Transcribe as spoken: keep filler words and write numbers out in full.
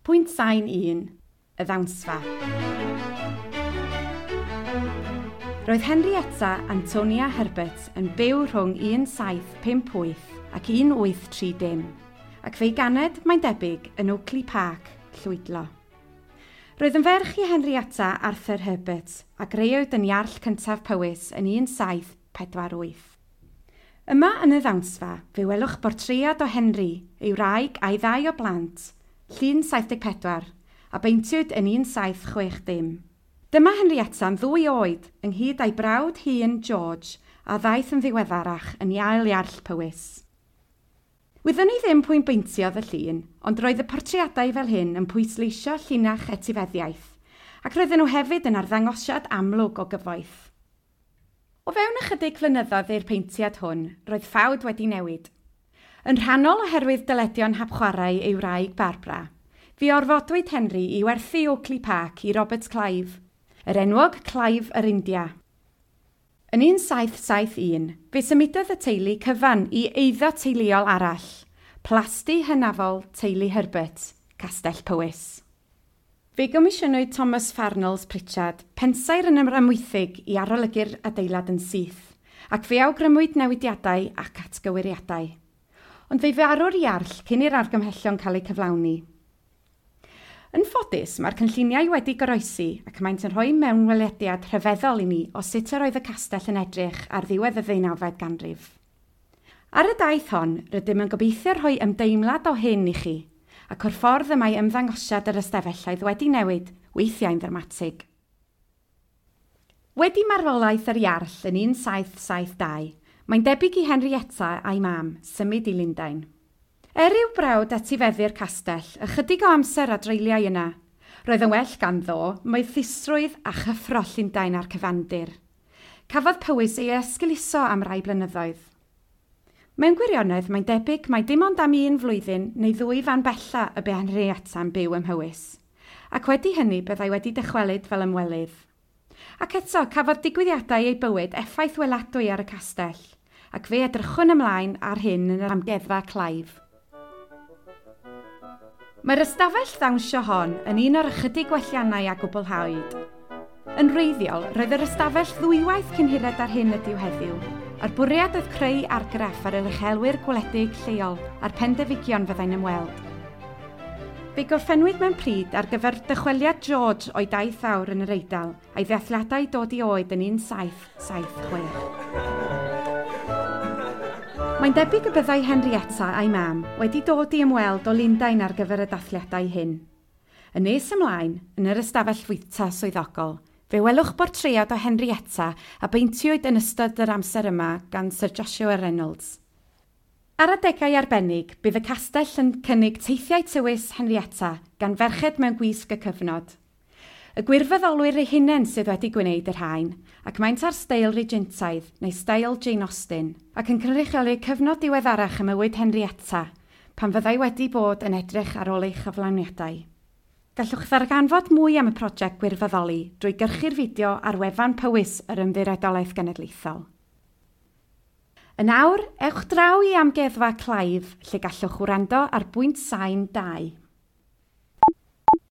Pwynt sain un, y ddawnsfa. Roedd Henrietta Antonia Herbert yn byw rhwng un saith pump wyth ac un wyth tri dim, ac fe'i ganed, mae'n debyg, yn Oakley Park, Llwydlo. Roedd yn ferch i Henrietta Arthur Herbert a greuwyd yn Iarll cyntaf Powys yn un saith pedwar wyth. Yma yn y ddawnsfa, fe welwch bortread o Henry, ei wraig a'i ddau o blant, llun saith deg pedwar, a beintiwyd yn un saith chwech dim. Dyma Henrietta'n ddwy oed, ynghyd â'i brawd hŷn George, a ddaeth yn ddiweddarach yn ail Iarll Powys. Wyddwn ni ddim pwy'n beintiodd y llun, ond roedd y portreadau fel hyn yn pwysleisio llinach etifeddiaeth, ac roedden nhw hefyd yn arddangosiad amlwg o gyfoeth. O fewn ychydig flynyddoedd i'r peintiad hwn, roedd ffawd wedi newid. Yn rhannol oherwydd dyledion hapchwarae ei wraig Barbara, fe orfodwyd Henry i werthu Oakley Park i Robert Clive, yr enwog Clive yr India. Yn un saith saith un, fe symudodd y teulu cyfan i eiddo teuluol arall, plasty hynafol teulu Herbert, Castell Powys. Fe gomisiynwyd Thomas Farnolls Pritchard, pensaer yn yr Amwythig, i arolygu'r adeilad yn syth, ac fe awgrymwyd newidiadau ac atgyweiriadau. Ond fe farw'r iarll cyn i'r argymhellion cael eu cyflawni. Yn ffodus, mae'r cynlluniau wedi goroesi ac maent yn rhoi mewnwelediad rhyfeddol i ni o sut yr oedd y castell yn edrych ar ddiwedd y ddeunawfed ganrif. Ar y daith hon, rydym yn gobeithio rhoi ymdeimlad o hyn i chi, ac o'r ffordd y mae ymddangosiad yr ystafelloedd wedi newid, weithiau'n ddramatig. Wedi marwolaeth yr Iarll yn un saith saith dau, mae'n debyg i Henrietta a'i mam symud i Lundain. Er i'w brawd etifeddu'r castell, ychydig o amser a dreuliau yna. Roedd yn well ganddo moethusrwydd a chyffro Llundain a'r cyfandir. Cafodd Powys ei esgeuluso am rai blynyddoedd. Mewn gwirionedd, mae'n debyg mai dim ond am un flwyddyn neu ddwy fan bella y bu Henrietta'n byw ym Mhowys, ac wedi hynny byddai wedi dychwelyd fel ymwelydd. Ac eto, cafodd digwyddiadau ei bywyd effaith weladwy ar y castell, ac fe edrychwn ymlaen ar hyn yn yr amgueddfa Clive. Mae'r ystafell ddawnsio hon yn un o'r ychydig gwelliannau a gwblhawyd. Yn wreiddiol, roedd yr ystafell ddwywaith cyn hired ar hyn ydyw heddiw, a'r bwriad oedd creu argraff ar yr uchelwyr gwledig lleol a'r pendefigion fyddai'n ymweld. Fe gorffennwyd mewn pryd ar gyfer dychweliad George o'i daith awr yn yr Eidal a'i ddathliadau dod i oed yn un saith saith chwech. Mae'n debyg y byddai Henrietta a'i mam wedi dod i ymweld o Lundain ar gyfer y dathliadau hyn. Yn nes ymlaen, yn yr ystafell fwyta swyddogol, fe welwch bortread o Henrietta a beintiwyd yn ystod yr amser yma gan Sir Joshua Reynolds. Ar adegau arbennig, bydd y castell yn cynnig teithiau tywys Henrietta gan ferched mewn gwisg y cyfnod. Y gwirfoddolwyr eu hunain sydd wedi gwneud y rhain, ac maent ar steil Regentaidd neu steil Jane Austen, ac yn cynrychioli cyfnod diweddarach ym mywyd Henrietta, pan fyddai wedi bod yn edrych ar ôl ei chyflawniadau. Gallwch ddarganfod mwy am y prosiect gwirfoddoli drwy gyrchu'r fideo ar wefan Powys yr Ymddiriedolaeth Genedlaethol. Yn awr, ewch draw i amgueddfa Clive, lle gallwch wrando ar bwynt sain dau.